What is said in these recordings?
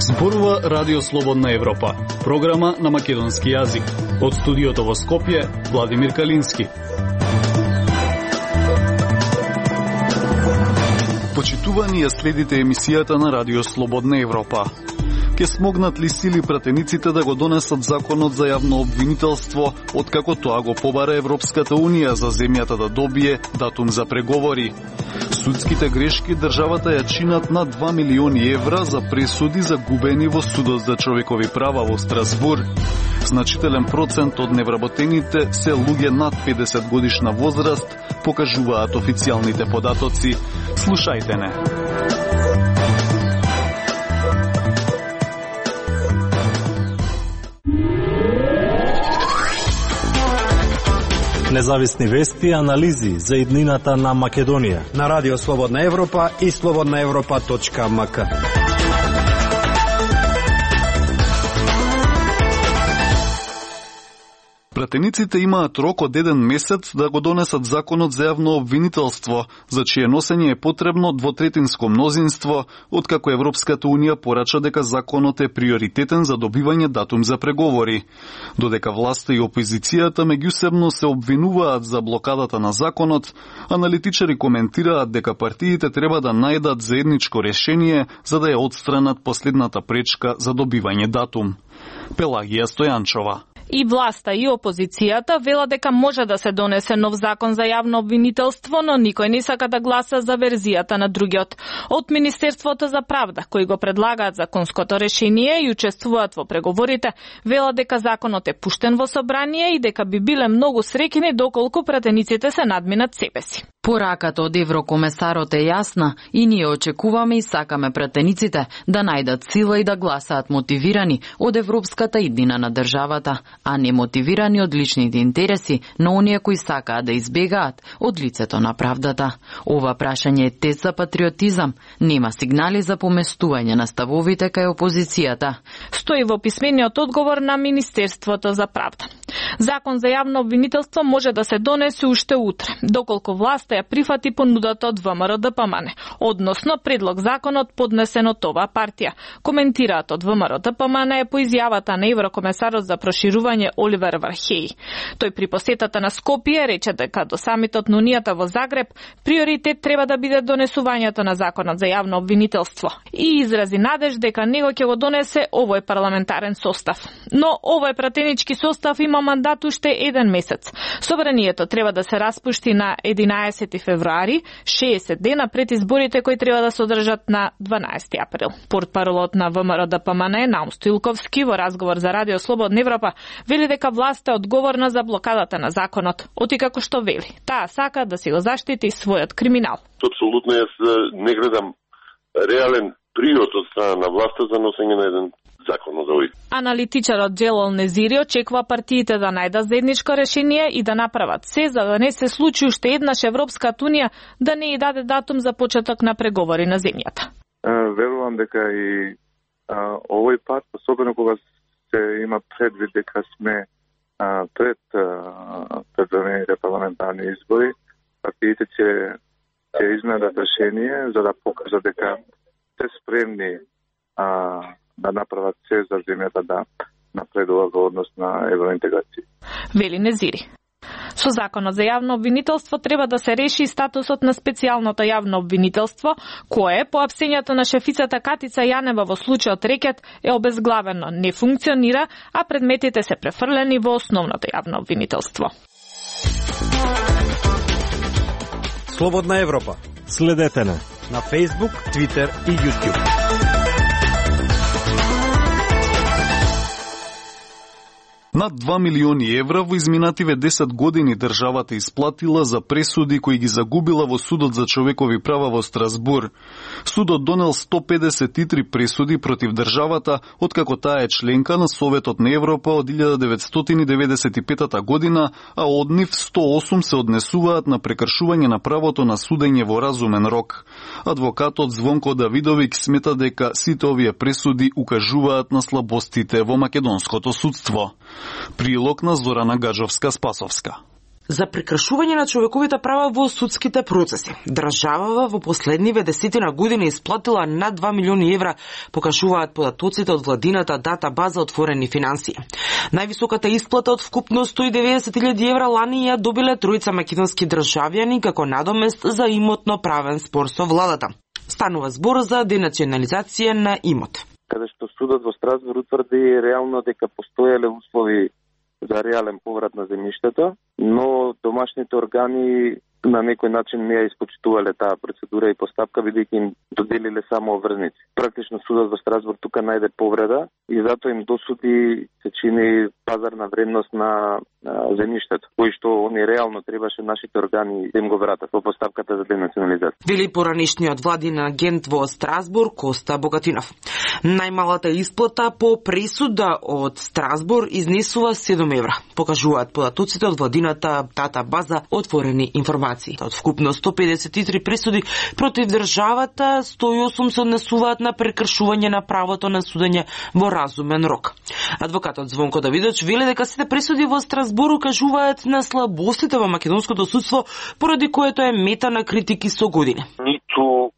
Зборува Радио Слободна Европа, програма на македонски јазик. Од студиото во Скопје, Владимир Калински. Почитувани ја следите емисијата на Радио Слободна Европа. Ке смогнат ли сили пратениците да го донесат законот за јавно обвинителство, откако тоа го побара Европската Унија за земјата да добие датум за преговори? Судските грешки државата ја чинат на 2 милиони евра за пресуди загубени во Судот за човекови права во Страсбур. Значителен процент од невработените се луѓе над 50 годишна возраст, покажуваат официјалните податоци. Слушајте не. Независни вести и анализи за иднината на Македонија на Радио Слободна Европа и slobodnaevropa.mk. Пратениците имаат рок од 1 месец да го донесат законот за јавно обвинителство, за чие носење е потребно двотретинско мнозинство, откако Европската Унија порача дека законот е приоритетен за добивање датум за преговори. Додека власта и опозицијата меѓусебно се обвинуваат за блокадата на законот, аналитичари коментираат дека партиите треба да најдат заедничко решение за да ја отстранат последната пречка за добивање датум. Пелагија Стојанчова. И власта и опозицијата вела дека може да се донесе нов закон за јавно обвинителство, но никој не сака да гласа за верзијата на другиот. Од Министерството за правда, кои го предлагаат законското решение и учествуваат во преговорите, вела дека законот е пуштен во собрание и дека би биле многу среќни доколку пратениците се надминат себе си. Пораката од еврокомесарот е јасна и ние очекуваме и сакаме пратениците да најдат сила и да гласаат мотивирани од европската иднина на државата, а не мотивирани од личните интереси на оние кои сакаат да избегаат од лицето на правдата. Ова прашање е тест за патриотизам, нема сигнали за поместување на ставовите кај опозицијата. Стои во писмениот одговор на Министерството за правда. Закон за јавно обвинителство може да се донесе уште утре, доколку власта ја прифати понудата од ВМРО-ДПМН, односно предлог законот поднесен од оваа партија. Коментираат од ВМРО-ДПМН е по изјавата на еврокомесарот за проширување Оливер Вархеј. Тој при посетата на Скопје рече дека до самитот на Унијата во Загреб приоритет треба да биде донесувањето на законот за јавно обвинителство и изрази надеж дека него ќе го донесе овој парламентарен состав. Но овој пратенички состав има мандат уште 1 месец. Собранието треба да се распушти на 11 февруари, 60 дена пред изборите кои треба да се одржат на 12 април. Портпаролот на ВМРО-ДПМН Наум Стоилковски во разговор за Радио Слободна Европа вели дека власта е одговорна за блокадата на законот, оти како што вели. Таа сака да си го заштити својот криминал. Апсолутно јас не гледам реален приот од страна на власта за носење на еден закон од овој. Аналитичарот Джелал Незири очекува партиите да најдат заедничко решение и да направат се за да не се случи уште еднаш Европската Унија да не ја даде датум за почеток на преговори на земјата. Верувам дека и овој пат, особено кога се има предвид дека сме пред предвремените парламентарни избори, партиите ќе изнајдат решение за да покажат дека се спремни да направат се за земјата да напредува во однос на евроинтеграција. Вели Незири. Со законот за јавно обвинителство треба да се реши статусот на специјалното јавно обвинителство, кое, по апсењето на шефицата Катица Јанева во случајот Рекет, е обезглавено, не функционира, а предметите се префрлени во основното јавно обвинителство. Слободна Европа. Следете на Facebook, Twitter и YouTube. Над 2 милиони евра во изминативе 10 години државата исплатила за пресуди кои ги загубила во Судот за човекови права во Страсбур. Судот донел 153 пресуди против државата, откако таа е членка на Советот на Европа од 1995 година, а од нив 108 се однесуваат на прекршување на правото на судење во разумен рок. Адвокатот Звонко Давидовик смета дека сите овие пресуди укажуваат на слабостите во македонското судство. Прилог на Зорана Гаджовска-Спасовска. за прекршување на човековите права во судските процеси. Државава во последниве 10 години исплатила над 2 милиони евра, покажуваат податоците од владината датабаза Отворени финансии. Највисоката исплата од вкупно 190.000 евра лани ја добиле тројца македонски државјани како надомест за имотно правен спор со владата. Станува збор за денационализација на имот. Каде што судот во Страсбург утврди реално дека постоеле услови за реален поврат на земјиштето, но домашните органи на некој начин не ја испочитувале таа процедура и постапка, бидејќи им доделиле само обврзници. Практично судот во Страсбург тука најде повреда и затоа им досуди се чини пазарна вредност на земјиштето, кој што они реално требаше нашите органи да им го вратат во постапката за денационализација. Вели поранишниот владин агент во Страсбург Коста Богатинов. Најмалата исплата по пресуда од Страсбург изнесува 7 евра. Покажуваат податоците од владината датабаза Отворени информации. Од вкупно 153 пресуди против државата, 108 се однесуваат на прекршување на правото на судење во разумен рок. Адвокатот Звонко Давидович вели дека сите пресуди во Страсбург укажуваат на слабостите во македонското судство, поради което е мета на критики со години. Ниту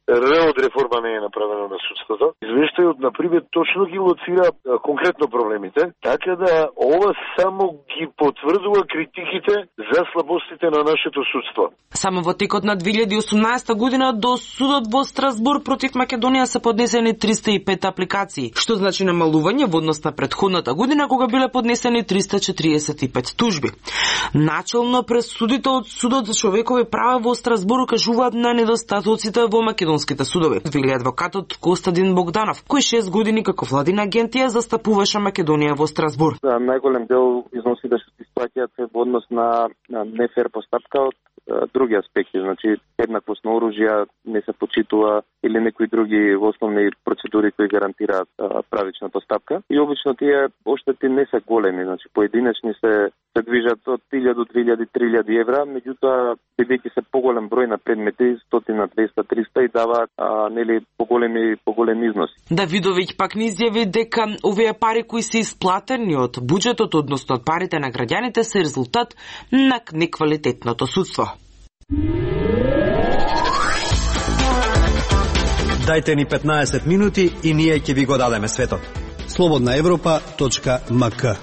од реформа не е направена на судството. Извештајот, например, точно ги лоцира конкретно проблемите, така да ова само ги потврдува критиките за слабостите на нашето судство. Само во текот на 2018 година до судот во Страсбург против Македонија се поднесени 305 апликации, што значи намалување во однос на претходната година кога биле поднесени 345 тужби. Начелно пресудите од судот за човекови права во Страсбург кажуваат на недостатоците во македонските судови, вели адвокатот Костадин Богданов, кој 6 години како владина агенција застапуваше Македонија во Страсбург. Најголем дел износи да се исплаќаат во однос на нефер постапка од други аспекти, значи еднаквост на оружја не се почитува или некои други основни процедури кои гарантираат правична постапка. И обично тие оштети не се големи, значи поединечни се движат од 1000 до 2000, 3000 евра, меѓутоа бидејќи се поголем број на предмети, 100, 200, 300 и даваат нели поголеми износи. Давидовиќ пак ни изјави дека овие пари кои се исплатени од буџетот, односно од парите на граѓаните, се резултат на неквалитетното судство. Дајте ни 15 минути и ние ќе ви го дадеме светот. slobodnaevropa.mk.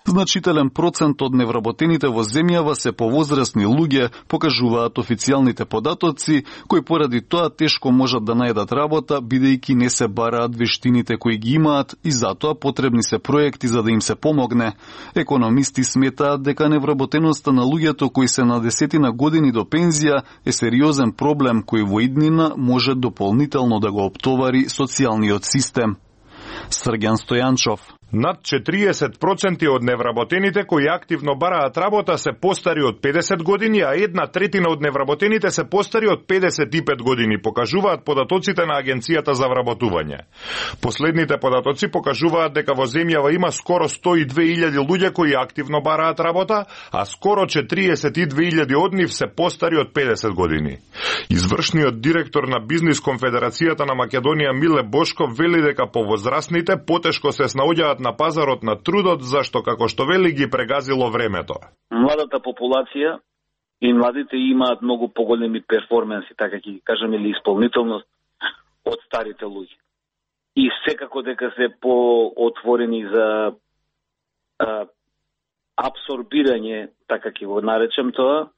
Значителен процент од невработените во земјава се повозрасни луѓе, покажуваат официјалните податоци, кои поради тоа тешко можат да најдат работа, бидејќи не се бараат вештините кои ги имаат и затоа потребни се проекти за да им се помогне. Економисти сметаат дека невработеноста на луѓето кои се на 10 години до пензија е сериозен проблем кој во иднина може дополнително да го оптовари социјалниот систем. Срѓан Стојанчов. Над 40% од невработените кои активно бараат работа се постари од 50 години, а 1/3 од невработените се постари од 55 години, покажуваат податоците на Агенцијата за вработување. Последните податоци покажуваат дека во земјава има скоро 102.000 луѓе кои активно бараат работа, а скоро 42.000 од нив се постари од 50 години. Извршниот директор на Бизнис конфедерацијата на Македонија Миле Бошков вели дека повозрасните потешко се снаоѓаат на пазарот на трудот, зашто, како што вели, ги прегазило времето. Младата популација и младите имаат многу поголеми перформанси, така ќе ги кажеме, или исполнителност од старите луѓе. И секако дека се поотворени за абсорбирање, така ќе го наречем тоа,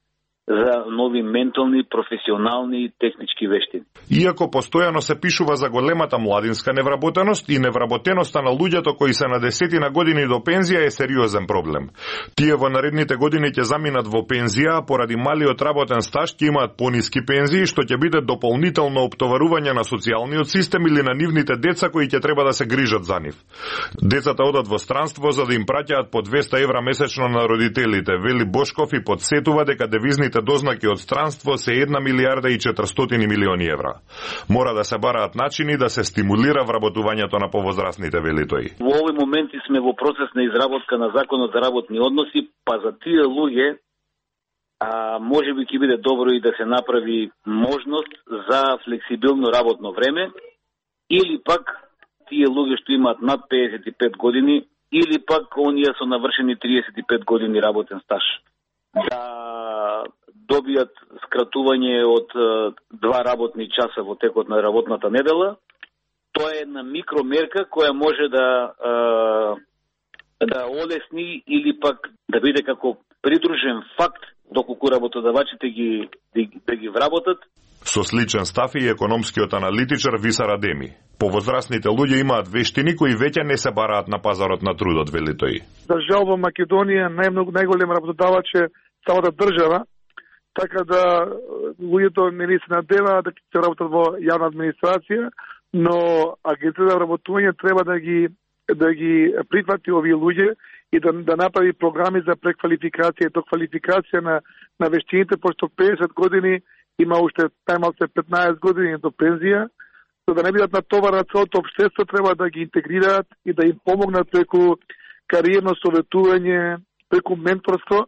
за нови ментални, професионални и технички вештини. Иако постојано се пишува за големата младинска невработеност и невработеноста на луѓето кои се на 10 години до пензија е сериозен проблем. Тие во наредните години ќе заминат во пензија, а поради малиот работен стаж ќе имаат пониски пензии, што ќе биде дополнително оптоварување на социјалниот систем или на нивните деца кои ќе треба да се грижат за нив. Децата одат во странство за да им праќаат по 200 евра месечно на родителите, вели Бошков и подсетува дека девизните дознаки од странство се 1 милијарда и 400 милиони евра. Мора да се бараат начини да се стимулира вработувањето на повозрасните, вели тој. Во овој моменти сме во процес на изработка на законот за работни односи, па за тие луѓе можеби ќе биде добро и да се направи можност за флексибилно работно време или пак тие луѓе што имаат над 55 години, или пак оние со навршени 35 години работен стаж, да добијат скратување од 2 работни часа во текот на работната недела. Тоа е една микромерка која може да олесни или пак да биде како придружен факт доколку работодавачите да ги вработат. Со сличен став и економскиот аналитичар Висар Адеми. Повозрастните луѓе имаат вештини кои веќе не се бараат на пазарот на трудот, вели тој. За жал во Македонија најголем работодавач е самата држава, така да луѓето не се надеваат да ќе работат во јавна администрација, но агенцијата за вработување треба да ги прифати овие луѓе и да направи програми за преквалификација и доквалификација на вештините, пошто 50 години има уште најмалку 15 години до пензија, за да не бидат натоварени целото општество, треба да ги интегрираат и да им помогнат преку кариерно советување, преку менторство,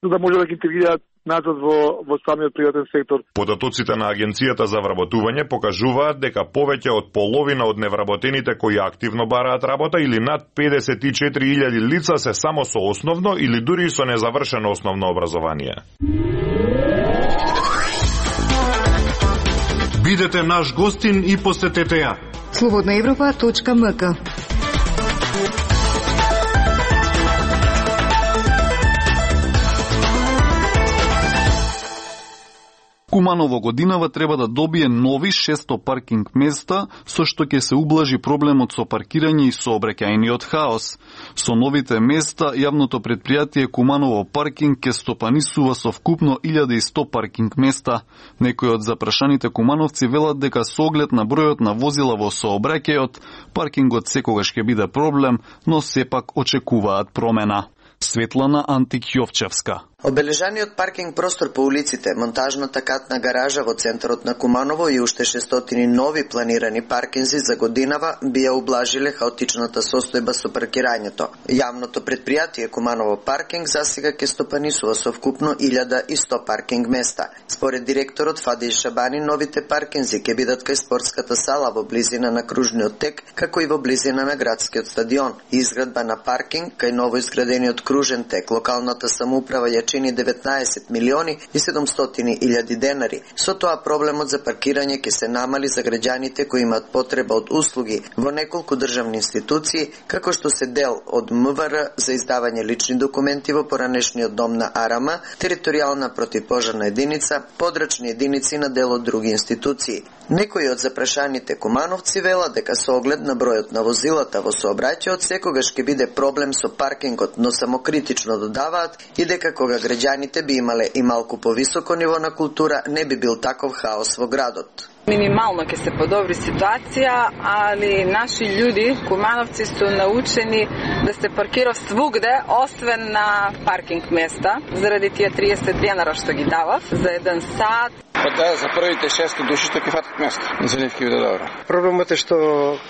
за да може да ги интегрираат назад во самиот приватен сектор. Податоците на Агенцијата за вработување покажуваат дека повеќе од половина од невработените кои активно бараат работа или над 54.000 лица се само со основно или дури со незавршено основно образование. Бидете наш гостин и посетете ја slobodnaevropa.mk. Куманово годинава треба да добие нови 600 паркинг места, со што ќе се ублажи проблемот со паркирање и сообраќајниот хаос. Со новите места, јавното предпријатие Куманово паркинг ќе стопанисува со вкупно 1100 паркинг места. Некои од запрашаните кумановци велат дека со оглед на бројот на возила во сообраќајот, паркингот секогаш ќе биде проблем, но сепак очекуваат промена. Светлана Антик-Јовчевска. Обележаниот паркинг простор по улиците, монтажната катна гаража во центарот на Куманово и уште 600 нови планирани паркинзи за годинава бија ублажиле хаотичната состојба со паркирањето. Јавното предпријатие Куманово паркинг засега ќе стопанисува со вкупно 1100 паркинг места. Според директорот Фадеј Шабани, новите паркинзи ќе бидат кај спортската сала во близина на кружниот тек, како и во близина на градскиот стадион. Изградба на паркинг кај ново изградениот кружен тек локалната самоуправа ја чини 19 милиони и 700 илјади денари. Со тоа проблемот за паркирање ќе се намали за граѓаните кои имаат потреба од услуги во неколку државни институции, како што се дел од МВР за издавање лични документи во поранешниот дом на АРАМ, територијална противпожарна единица, подрачни единици на дел од други институции. Некои од запрашаните кумановци велат дека со оглед на бројот на возилата во сообраќајот секогаш ќе биде проблем со паркингот, но само критично додаваат и дека кога граѓаните би имале и малку повисоко ниво на култура, не би бил таков хаос во градот. Минимално ќе се подобри ситуација, али наши људи, кумановци, су научени да се паркира свугде, освен на паркинг места, заради тие 30 денара што ги давав за 1 сат. Па да, за првите 600 души што ќе фатат место. За нив ќе биде добро. Проблемот е што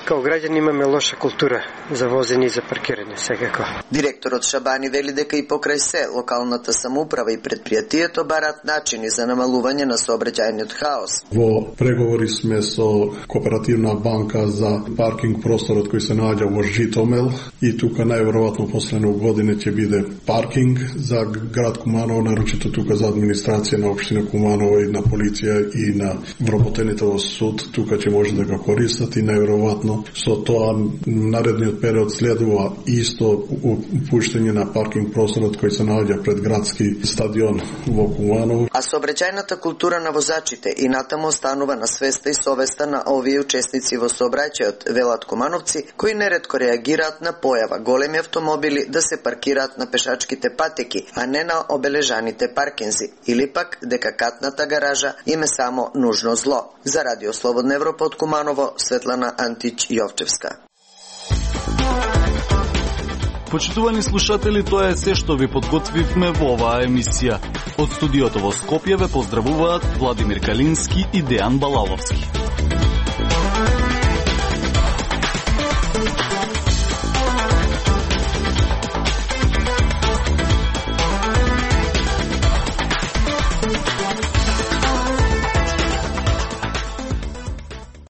као граѓани имаме лоша култура за возење и за паркирање секако. Директорот Шабани вели дека и покрај се локалната самоуправа и предпријатието бараат начини за намалување на сообраќајниот хаос. Во преговори сме со Кооперативна банка за паркинг просторот кој се наоѓа во Житомел и тука најверојатно последно година ќе биде паркинг за град Куманово, нарочито тука за администрација на општина Куманово и на полиција и на вработените во суд, тука ќе може да го користат и најверојатно со тоа наредниот период следува исто упуштање на паркинг просторот кој се наоѓа пред градски стадион во Куманово. А сообраќајната култура на возачите и натаму останува на свеста и совеста на овие учесници во сообраќајот, велат кумановци, кои неретко реагираат на појава големи автомобили да се паркираат на пешачките патеки, а не на обележаните паркинзи, или пак дека катната гаража им е само нужно зло. За Радио Слободна Европа од Куманово, Светлана Антич-Јовчевска. Почитувани слушатели, тоа е се што ви подготвивме во оваа емисија. Од студиото во Скопје ве поздравуваат Владимир Калински и Дејан Балаловски.